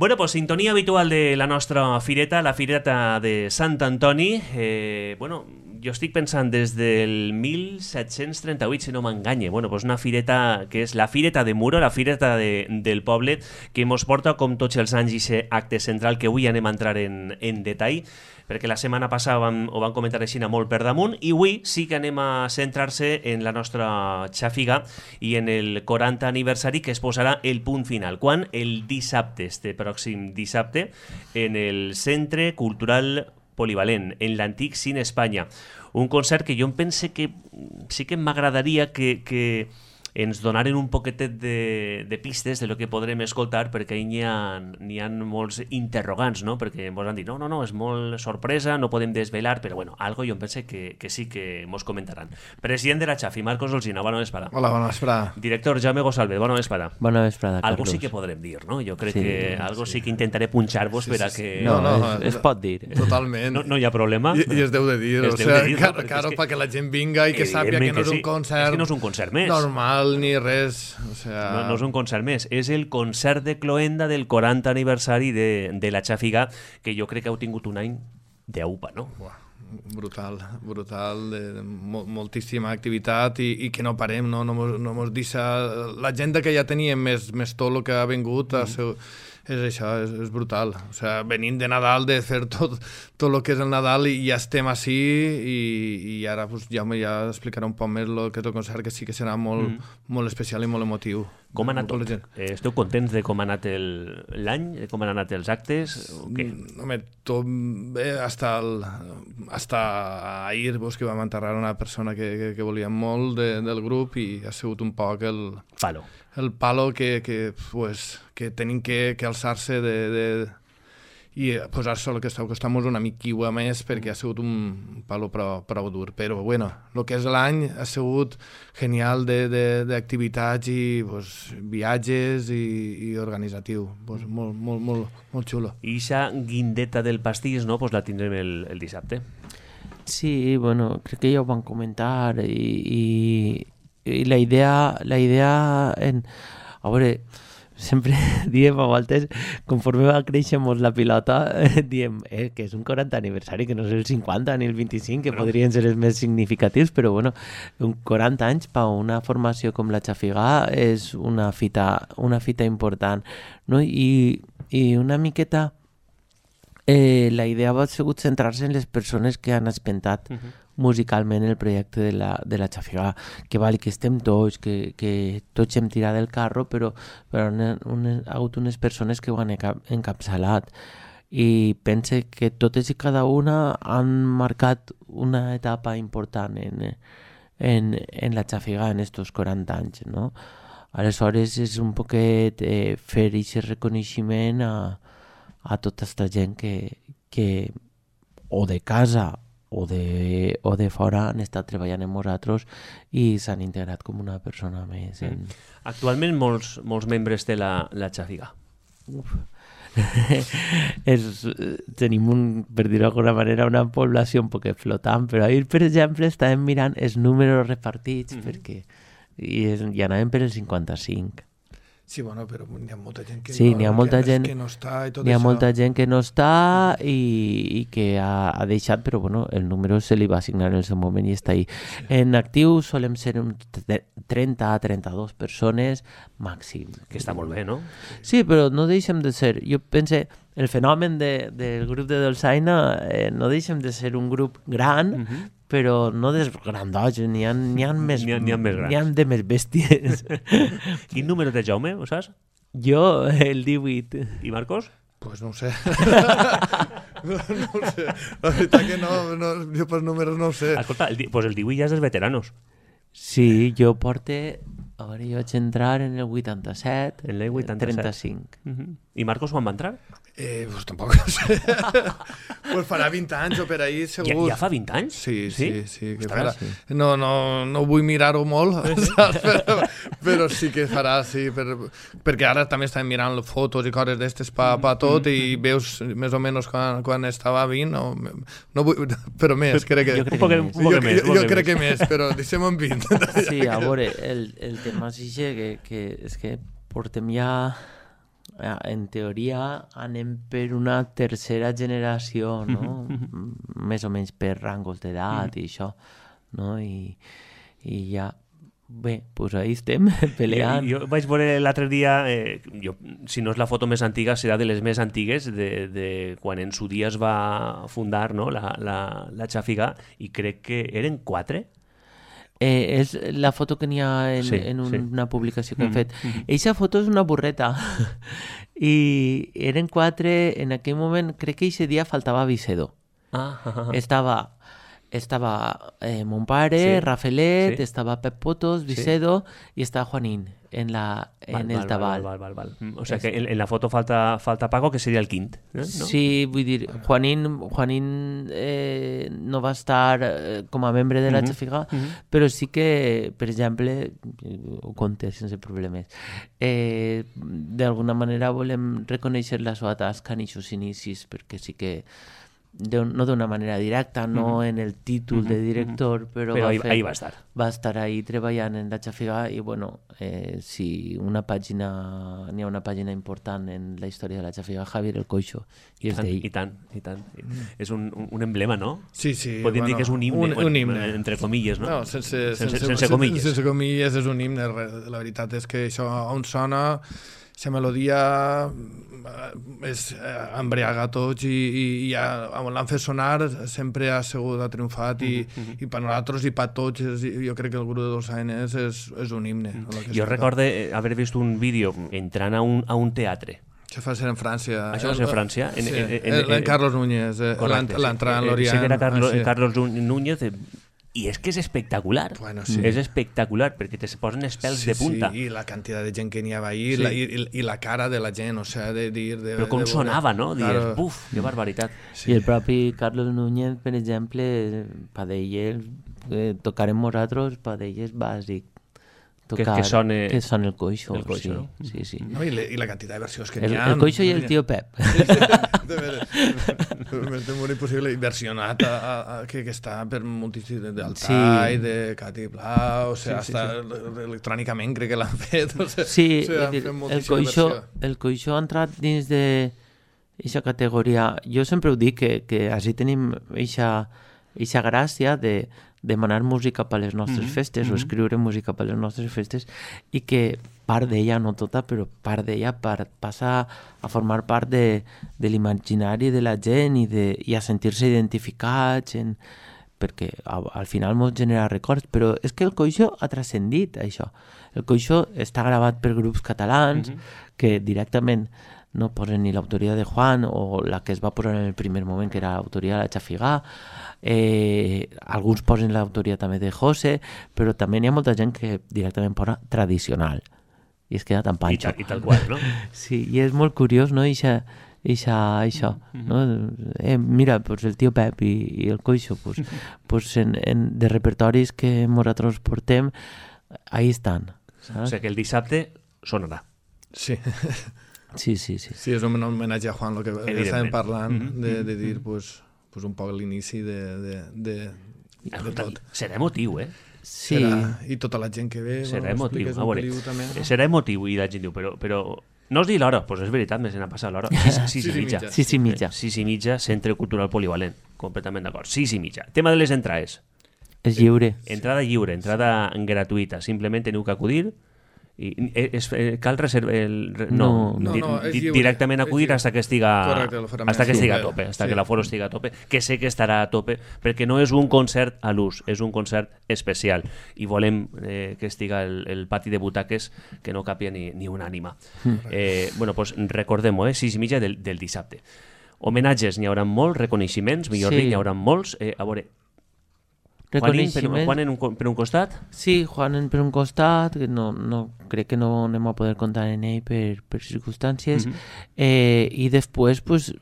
Bueno, pues sintonia habitual de la nostra fireta, la fireta de Sant Antoni. Bueno, jo estic pensant des del 1738, si no m'enganye. Bueno, pues una fireta que és la fireta de Muro, la fireta del poble, que mos porta, com tots els anys, i acte central que avui anem a entrar en detall, perquè la setmana passada ho van comentar així molt per damunt, i avui sí que anem a centrar-se en la nostra xàfiga i en el 40 aniversari, que es posarà el punt final. Quan? El dissabte, este pròxim dissabte, en el Centre Cultural Polivalent, en l'antic Cine Espanya. Un concert que jo em pense que sí que m'agradaria que ens donaren un poquetet de pistes de lo que podrem escoltar, perquè n'hi ha molts interrogants, no? Perquè ens han dit, no, és molt sorpresa, no podem desvelar, però bueno, algo jo em pense que sí que mos comentaran. President de la Xafi, Marcos Olsina, bona vesprada. Hola, bona vesprada. Director Jaume Gosalve, bona vesprada. Bona vesprada, Carlos. Algo sí que podrem dir, no? Jo crec que algo sí que intentaré punxar-vos per a que... No, es pot dir. Totalment. No hi ha problema. I es deu de dir, o sigui, claro, perquè la gent vinga i que sàpiga que no és un concert... És que no és un concert més. Normal, ni res. O sea... No és un concert més, és el concert de cloenda del 40 aniversari de la Xàfiga, que jo crec que heu tingut un any d'aupa, no? Brutal, moltíssima activitat i que no parem, no mos deixa... La gent que ja teníem més tot el que ha vingut és això, és brutal. O sigui, venint de Nadal, de fer tot el que és el Nadal i ja estem així i ara pues, Jaume ja explicarà un poc més el que és el concert, que sí que serà molt especial i molt emotiu. Com ha anat tot? Esteu contents de com ha anat l'any? Com han anat els actes? Home, tot bé, hasta ahir que vam enterrar una persona que volíem molt del grup i ha sigut un poc el palo que tenim que alçar-se i posar-se el que està costant-nos una miquiua més perquè ha sigut un palo prou dur. Però, bueno, el que és l'any ha sigut genial d'activitats i viatges i organitzatiu. Molt xulo. I aquesta guindeta del pastís, no? Pues la tindrem el dissabte. Sí, bueno, crec que ja ho van comentar i la idea a veure, sempre diem a voltes, conforme va créixer molt la pilota, diem que és un 40 aniversari, que no és el 50 ni el 25, que podrien ser els més significatius, però bueno, un 40 anys per una formació com la Xàfiga és una fita important, no? I una miqueta la idea ha sigut centrar-se en les persones que han espentat musicalment el projecte de la Xàfiga, que val que estem tots, que tots hem tirat del carro, però ha hagut unes persones que ho han encapçalat i pense que totes i cada una han marcat una etapa important en la Xàfiga en estos 40 anys, no? Aleshores és un poquet fer aquest reconeixement a tota aquesta gent que o de casa o de fora han estat treballant amb nosaltres i s'han integrat com una persona més. Actualment molts membres té la Xàfiga. Tenim, per dir-ho d'alguna manera, una població un poc flotant, però ahir, per exemple, estàvem mirant els números repartits perquè ja anàvem per el 55. Sí, bueno, però hi ha molta gent que, sí, que no està i tot hi ha això. Molta gent que no està i que ha deixat, però bueno, el número se li va assignar en el seu moment i està ahí. Sí. En actiu solem ser 30 a 32 persones màxim. Que està molt bé, no? Sí, però no deixem de ser... Jo pense, el fenomen del grup de Dolçaina no deixem de ser un grup gran, però no des grandots, n'hi ha més grans. N'hi ha de més bèsties. Quin número té Jaume, ho saps? Jo, el 18. I Marcos? Pues no ho sé. No ho sé. La veritat que no, jo per números no ho sé. Escolta, pues el 18 ja és dels veteranos. Sí, jo porte... A veure, jo vaig entrar en el 87, en el 87. 35. I Marcos quan va entrar? Pues tampoc no sé. Pues farà 20 anys o per ahí, segur. Ja fa 20 anys? Sí. Que farà. No vull mirar-ho molt, però sí que farà, sí. Perquè ara també estem mirant fotos i coses d'estes pa tot i veus més o menys quan estava 20, no vull, però més, crec que... Jo crec que més, però deixem en 20. Sí, a veure, el tema és que és que portem ja en teoria anem per una tercera generació, no? Més o menys per rangos d'edat i això, no? I ja... Bé, doncs ahí estem, peleant. Jo vaig veure l'altre dia, si no és la foto més antiga, serà de les més antigues, de quan en su dia es va fundar, no? la Xàfiga, i crec que eren 4. És la foto que n'hi ha en una publicació que hem fet. Eixa foto és una burreta. I eren 4, en aquell moment, crec que eixe dia faltava Vicedo. Estava mon pare, Rafelet, estava Pep Potos, Vicedo i estava Juanín en el tabal. Val. O sea que en la foto falta Paco, que seria el quint. ¿No? Sí, vull dir, Juanín no va estar com a membre de la Xàfiga, però sí que, per exemple, ho conté sense problemes, d'alguna manera volem reconèixer la seva tasca en aquests inicis, perquè sí que no d'una manera directa, no en el títol de director, però ahí va estar. Va estar ahí treballant en la Xàfiga i, bueno, si n'hi ha una pàgina important en la història de la Xàfiga, Javier el Coixo, i és d'ell. I tant. És un emblema, no? Sí. Podríem dir que és un himne, un himne. Entre comilles, no? No, sense comilles. Sense comilles és un himne. La veritat és que això on sona, la melodia és embriaga a tots i on l'han fet sonar sempre ha triomfat i per nosaltres i per tots jo crec que el grup de Dolçaines és un himne. Jo recordo haver vist un vídeo entrant a un teatre. Això va ser en França. Això va ser en França? En Carlos Núñez, l'entrada en l'Orient. Sí que era Carlos Núñez. I és que és espectacular. Bueno, sí. És espectacular, perquè te posen els pèls de punta. Sí, i la quantitat de gent que n'hi havia ahir, i la cara de la gent, o sigui, de dir... Però com sonava, no? Dius, buf, que barbaritat. I el propi Carlos Núñez, per exemple, per d'ell, tocarem nosaltres, per d'ell és bàsic. Que sone el Coixo. El Coixo, no? Sí. No, i la quantitat de versions que n'hi ha. El Coixo i el tio Pep. És molt impossible. I versionat que està per multitud d'Altai, de Cati Blau, o sigui, hasta electrònicament crec que l'han fet. Sí, el Coixo ha entrat dins d'aquesta categoria. Jo sempre ho dic, que així tenim aquesta gràcia de demanar música per les nostres festes o escriure música per les nostres festes i que part d'ella, no tota, però part d'ella passa a formar part de l'imaginari de la gent i a sentir-se identificats perquè al final mos genera records, però és que el Coixo ha transcendit això. El Coixo està gravat per grups catalans que directament no posen ni l'autoria de Juan o la que es va posar en el primer moment, que era l'autoria de la Xàfiga. Alguns posen l'autoria també de José, però també n'hi ha molta gent que directament posa tradicional i es queda tan panxa. I tal qual, no? Sí, i és molt curiós, no? Això, no? Mira, pues el tio Pep i el Coixo, pues de repertoris que nosaltres portem, ahí estan. O sigui que el dissabte sonarà. Sí. Sí. Sí, és un homenatge a Juan, el que estàvem parlant, de dir pues un poc l'inici de tot. Serà emotiu, Sí. I tota la gent que ve... Serà emotiu, a veure. Serà emotiu, i la gent diu, però no us dir l'hora, doncs és veritat, me se n'ha passat l'hora. 6:30. 6:30, Centre Cultural Polivalent, completament d'acord. 6:30. Tema de les entrades. És lliure. Entrada lliure, entrada gratuïta. Simplement teniu que acudir cal reservar directament acudir hasta que estiga a tope, hasta que l'aforo estiga a tope, que sé que estarà a tope perquè no és un concert a l'ús, és un concert especial i volem que estiga el pati de butaques que no capia ni una ànima. Bueno, pues recordem-ho, 6:30 del dissabte. Homenatges n'hi haurà molts, reconeixements, millor dit, n'hi haurà molts. A veure, Juanín per un costat? Sí, Juanín per un costat, que no crec que no anem a poder comptar en ell per circumstàncies, i després pues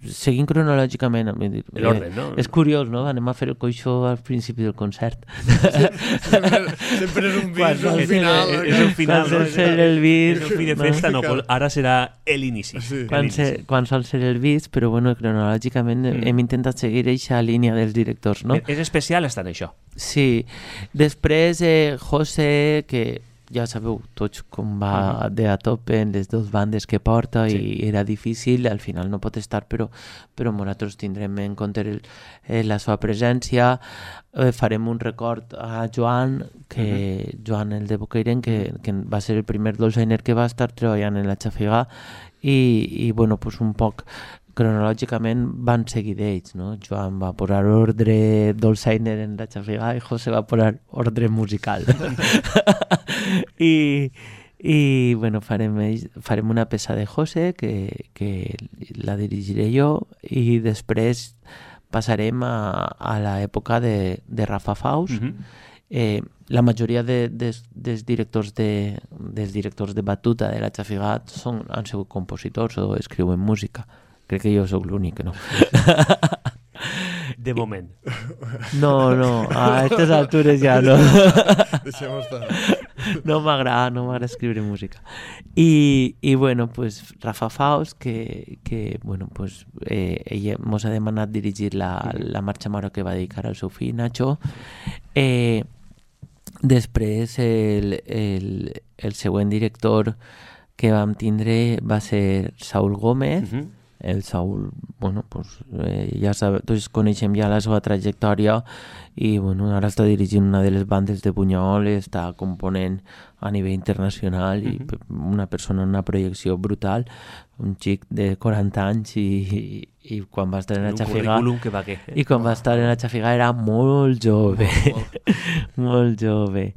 seguint cronològicament, l'ordre, no? És curiós, no? Anem a fer el Coixo al principi del concert. Sempre és un bis, al final. És el final, no? És el bis. És el fi de festa, no, ara serà l'inici. Quan sol ser el bis, però bueno, cronològicament hem intentat seguir aquesta línia dels directors, no? És especial estar en això. Sí. Després, José, que ja sabeu tots com va de a tope en les dues bandes que porta i era difícil, al final no pot estar, però nosaltres tindrem en compte la seva presència. Farem un record a Joan, Joan el de Bocairent, que va ser el primer dolçainer que va estar treballant en la Xafigà i bueno, pues un poc cronològicament van seguir d'ells, no? Joan va posar ordre dolçainer en la Xafigà i José va posar ordre musical. I bueno, farem una peça de José que la dirigiré jo i després passarem a l'època de Rafa Faust. La majoria dels directors de batuta de la Xafigà han sigut compositors o escriuen música. Crec que jo sóc l'únic que no. De moment. No, a aquestes altures ja no. Deixem estar. No m'agrada escriure música. I bueno, pues Rafa Faust, que bueno, pues ella mos ha demanat dirigir la marxa mare que va dedicar al seu fill Nacho. Després el següent director que vam tindre va ser Saúl Gómez. El Saúl, bueno, pues ja sabeu, tots coneixem ja la seva trajectòria i bueno, ara està dirigint una de les bandes de Bunyol, està component a nivell internacional i una persona amb una projecció brutal, un xic de 40 anys i quan va estar en la Xafigà i quan va estar en la Xafigà era molt jove, molt jove.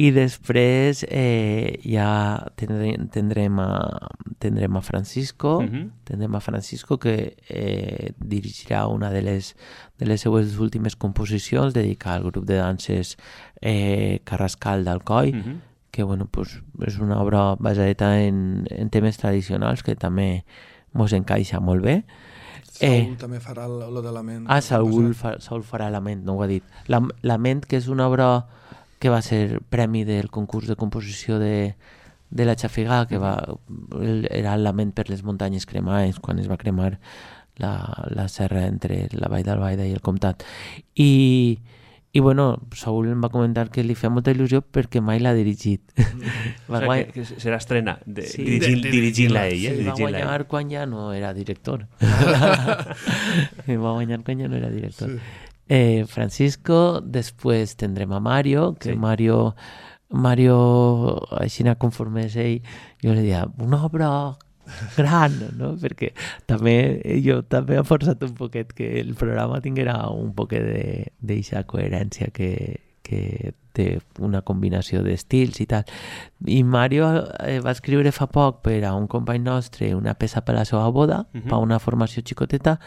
I després ja tindrem a Francisco, que dirigirà una de les seues últimes composicions dedicada al grup de danses Carrascal d'Alcoi, que bueno, pues, és una obra basada en temes tradicionals que també mos encaixa molt bé. Saúl també farà lo de Lament. Saúl farà Lament, no ho ha dit. Lament, que és una obra que va ser premi del concurs de composició de la Xafigà, que era el Lament per les muntanyes cremades, quan es va cremar la serra entre la Vall d'Albaida i el Comtat. I bueno, Saúl em va comentar que li feia molta il·lusió perquè mai l'ha dirigit. Que serà estrena dirigint-la ell. Va guanyar quan ja no era director. Francisco, després tindrem a Mario, que Mario, així conforme és ell, jo li deia, una obra gran, no? Perquè jo també he forçat un poquet que el programa tinguera un poquet d'eixa coherència que té una combinació d'estils i tal. I Mario va escriure fa poc per a un company nostre una peça per la seva boda, per una formació xicoteta,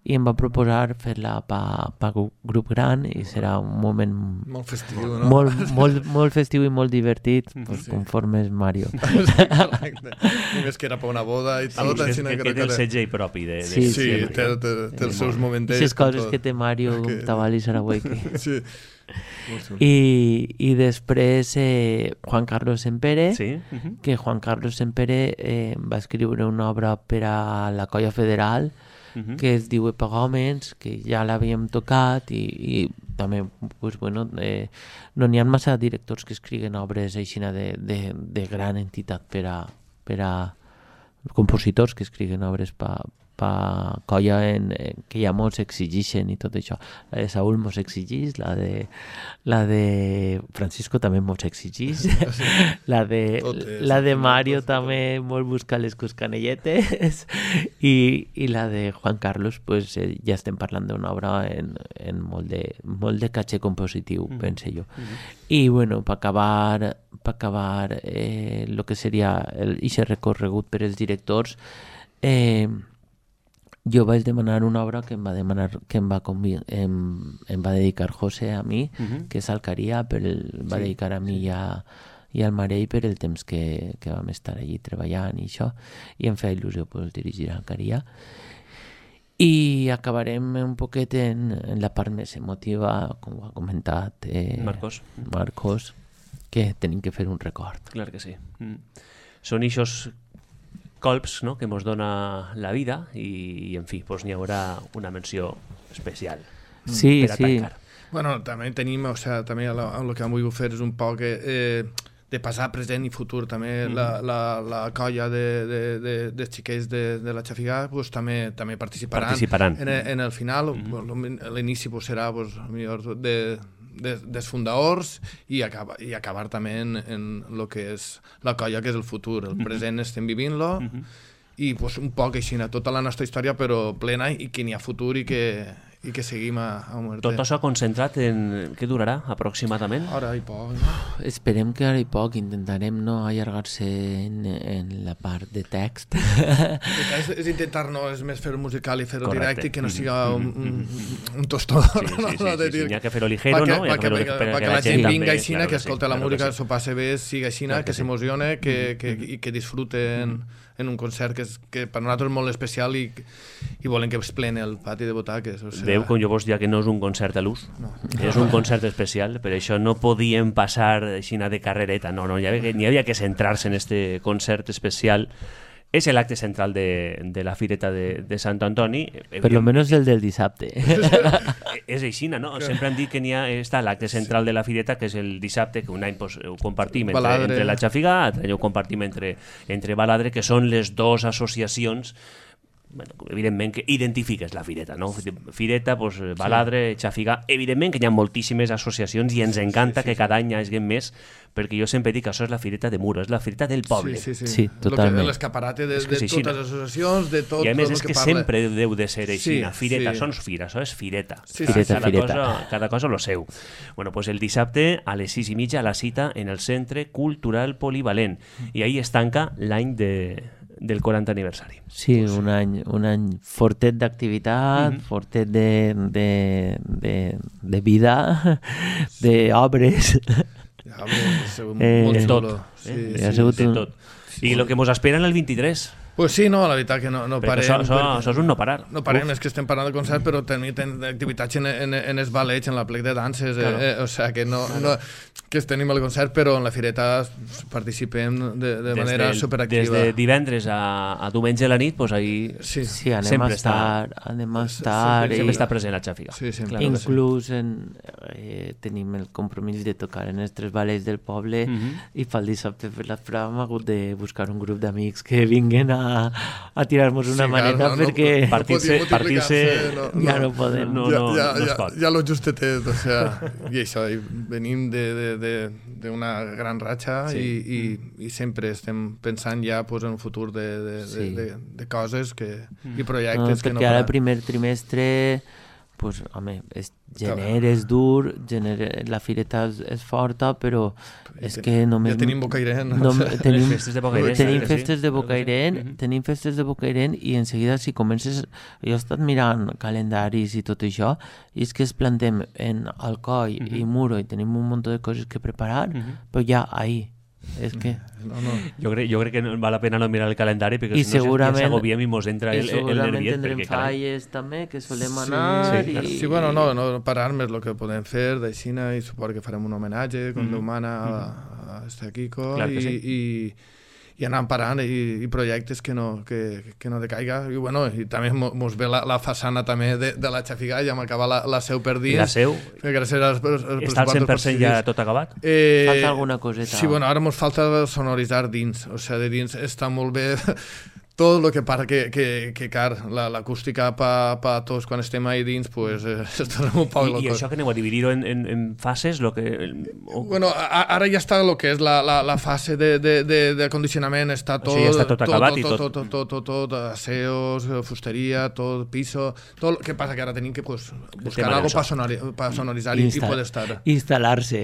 i em va proposar fer-la per grup gran i serà un moment molt festiu, no? Molt festiu i molt divertit, conforme és Mario. Només que era per una boda i tot. Que té el segell propi. Sí, té els seus moments. Aquestes coses que té Mario com Tabal i Sarawaki. Sí. I després Juan Carlos Sempere, que Juan Carlos Sempere va escriure una obra per a la Colla Federal que es diu Epagòmens, que ja l'havíem tocat i també no n'hi ha massa directors que escriguen obres així de gran entitat per a compositors que escriguen obres per colla que ja mos exigixen i tot això. La de Saúl mos exigix, la de Francisco també mos exigix, la de Mario també molt busca les coscanelletes i la de Juan Carlos pues ja estem parlant d'una obra en molt de caché compositiu, pense jo. I bueno, per acabar el que seria aquest recorregut per els directors, jo vaig demanar una obra que em va dedicar José a mi, que és Alcaria, va dedicar a mi i al Marell per el temps que vam estar allí treballant i això, i em feia il·lusió dirigir Alcaria. I acabarem un poquet en la part més emotiva, com ho ha comentat Marcos, que tenim que fer un record. Clar que sí. Són ixos colps, no?, que ens dona la vida i en fi, n'hi haurà una menció especial per a tancar. Bueno, també tenim, també el que hem volgut fer és un poc de passat, present i futur. També la colla de xiquets de la Xafigà pues, també participaran. En el final. L'inici pues, serà pues, millor dels fundadors i acabar també en el que és la colla, que és el futur. El present estem vivint-lo i pues, un poc així, tota la nostra història però plena i que n'hi ha futur i que seguim a muerte. Tot això concentrat en què durarà aproximadament? Ara i poc. Esperem que ara i poc. Intentarem no allargar-se en la part de text. És intentar és més fer-ho musical i fer-ho directe i que no siga un tostador. Sí, n'hi ha que fer-ho ligero, no? Perquè la gent vinga així, que escolta la música, s'ho passe bé, siga així, que s'emocione i que disfruten en un concert que per nosaltres és molt especial i volem que es pleni el pati de butaques. Veu, com jo vos dia que no és un concert a l'ús, és un concert especial, per això no podíem passar així de carrereta, no, n'hi havia que centrar-se en este concert especial. És l'acte central de la Fireta de Sant Antoni. Per lo menos el del dissabte. És així, no? Sempre han dit que està l'acte central de la Fireta, que és el dissabte, que un any ho compartim entre la Xafigà, l'altre any ho compartim entre Baladre, que són les dues associacions evidentment que identifiques la Fireta, no? Fireta, Baladre, Xafigà, evidentment que hi ha moltíssimes associacions i ens encanta que cada any hi hagi més, perquè jo sempre dic que això és la Fireta de Muro, és la Fireta del poble. Sí, totalment. L'escaparate de totes les associacions, de tot. I a més és que sempre deu de ser així. Fireta, són fira, això és Fireta. Cada cosa lo seu. Bueno, pues el dissabte a les 6:30 la cita en el Centre Cultural Polivalent i ahí es tanca l'any del 40 aniversari. Sí, un any fortet d'activitat, fortet de vida, d'obres. De tot. I el que mos espera en el 23. Pues sí, no, la veritat que no parem. Això és un no parar. No parem, és que estem parlant de concert, però tenim activitats en els ballets, en la plec de danses, o sigui que no que tenim el concert, però en la Fireta participem de manera superactiva. Des de divendres a diumenge a la nit, doncs ahir anem a estar sempre està present a Xàfiga. Inclús tenim el compromís de tocar en els 3 ballets del poble i pel dissabte per la prova hem hagut de buscar un grup d'amics que vinguen a tirar-nos una maneta perquè partir-se ja no podem. Ja lo justetet, o sea, i això, venim d'una gran ratxa i sempre estem pensant ja en un futur de coses i projectes que no... Perquè ara el primer trimestre pues, home, gener és dur, la Fireta és forta, però és que només... Ja tenim Bocairent. Tenim festes de Bocairent, tenim festes de Bocairent i en seguida si comences... Jo he estat mirant calendaris i tot això i és que es plantem en Alcoi i Muro i tenim un munt de coses que preparar, però ja ahir. És que... Jo crec que val la pena no mirar el calendari perquè si no ja s'agobiem i mos entra el nerviet. I segurament tindrem falles també, que solem anar... Sí, bueno, no parar-me és el que podem fer d'aixina i suposo que farem un homenatge com Déu mana a este Kiko i anar parant i projectes que no decaiga i bueno, i també mos ve la façana també de la Xafigà, ja m'acaba la seu per dins. La seu? Està al 100% ja tot acabat? Falta alguna coseta. Sí, bueno, ara mos falta sonoritzar dins, o sigui, de dins està molt bé tot el que para que car, l'acústica pa tots quan estem ahí dins, pues estarem un poc locos. I això que aneu a dividir-ho en fases? Bueno, ara ja està el que és la fase de acondicionament, està tot... O sigui, ja està tot acabat i tot, aseos, fusteria, tot, piso, tot el que passa que ara tenim que buscar algo per sonoritzar i poder estar. Instal·lar-se,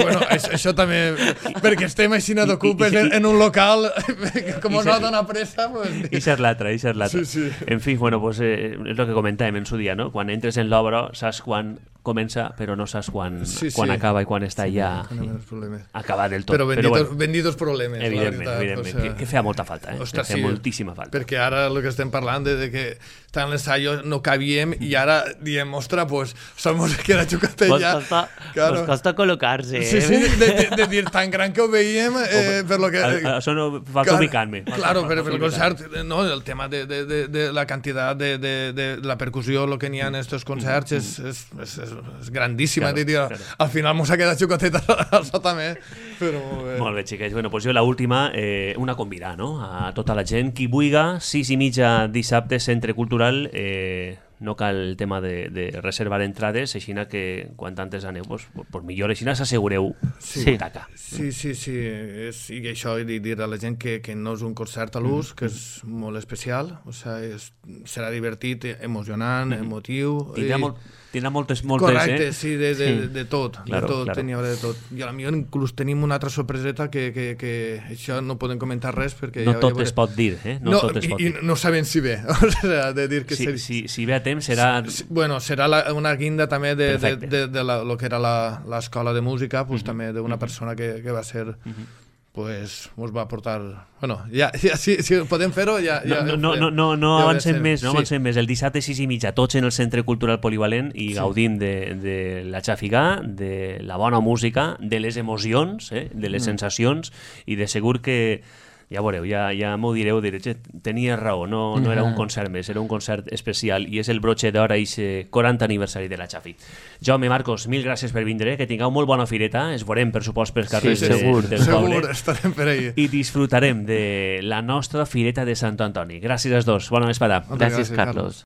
Bueno, això també, perquè estem així d'ocupes en un local, com no dona pressa, i ser l'altre. Sí. En fi, bueno, pues, és el que comentàvem en su dia, no? Quan entres en l'obra saps quan comença, però no saps quan acaba i quan està ja acabat del tot. Però benditos problemes. Evidentment. Que feia molta falta, feia moltíssima falta. Perquè ara el que estem parlant de que tant l'ensaio no cabíem i ara diem, ostres, pues, somos que la xucatella... Nos costa col·locar-se. Sí, de dir tan gran que ho veiem, per lo que... Això no falta ubicar-me. Claro, però el concert, no, el tema de la quantitat de la percussió, el que n'hi ha en estos concerts és és grandíssima, al final mos ha quedat xocoteta al també, però molt bé. Molt bé, xiquets. Bueno, doncs jo l'última, una convidar, no?, a tota la gent qui vulga, 6:30 dissabte, Centre Cultural, no cal el tema de reservar entrades, així que quan antes aneu, pues millor, així s'assegureu butaca. Sí, i això, i dir a la gent que no és un concert a l'ús, que és molt especial, o sigui, serà divertit, emocionant, emotiu. Tindrà moltes... Correcte, sí, de tot, n'hi haurà de tot. I potser inclús tenim una altra sorpreseta que això no podem comentar res perquè... No tot es pot dir, No tot es pot dir. No sabem si ve, o sigui, de dir que... Si ve a temps serà... Bueno, serà una guinda també de lo que era l'escola de música, també d'una persona que va ser... pues ens va portar... Bueno, si podem fer-ho, ja... No avancem més, no avancem més. El dissabte 6:30, tots en el Centre Cultural Polivalent i gaudim de la xafigà, de la bona música, de les emocions, de les sensacions, i de segur que... Ja veureu, ja m'ho direu, tenia raó, no era un concert més, era un concert especial i és el broche d'or a aquest 40 aniversari de la Xafi. Jaume, Marcos, mil gràcies per vindre, que tingueu molt bona fireta, ens veurem per supost pels carrers del poble. Segur, estarem per ahí. I disfrutarem de la nostra fireta de Sant Antoni. Gràcies als dos, bona vesprada. Gràcies, Carlos.